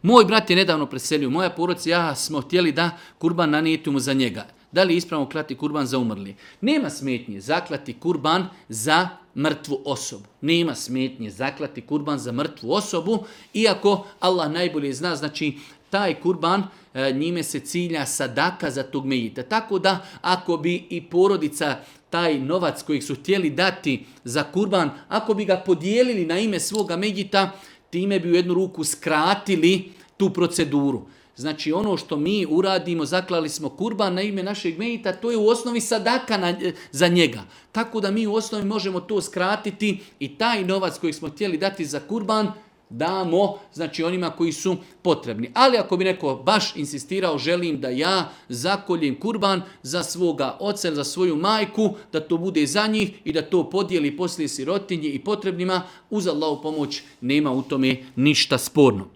Moj brat je nedavno preselio, moja porodica i ja smo htjeli da kurban nanijetimo za njega. Da li je ispravno klati kurban za umrli? Nema smetnje zaklati kurban za mrtvu osobu. Nema smetnje zaklati kurban za mrtvu osobu, iako Allah najbolje zna, znači taj kurban, njime se cilja sadaka za tog mejita. Tako da ako bi i porodica taj novac kojeg su htjeli dati za kurban, ako bi ga podijelili na ime svoga mejita, time bi u jednu ruku skratili tu proceduru. Znači ono što mi uradimo, zaklali smo kurban na ime našeg mejita, to je u osnovi sadaka za njega. Tako da mi u osnovi možemo to skratiti i taj novac koji smo htjeli dati za kurban damo, znači onima koji su potrebni. Ali ako bi neko baš insistirao, želim da ja zakoljem kurban za svoga oca, za svoju majku, da to bude za njih i da to podijeli poslije sirotinji i potrebnima, uz Allahu pomoć nema u tome ništa sporno.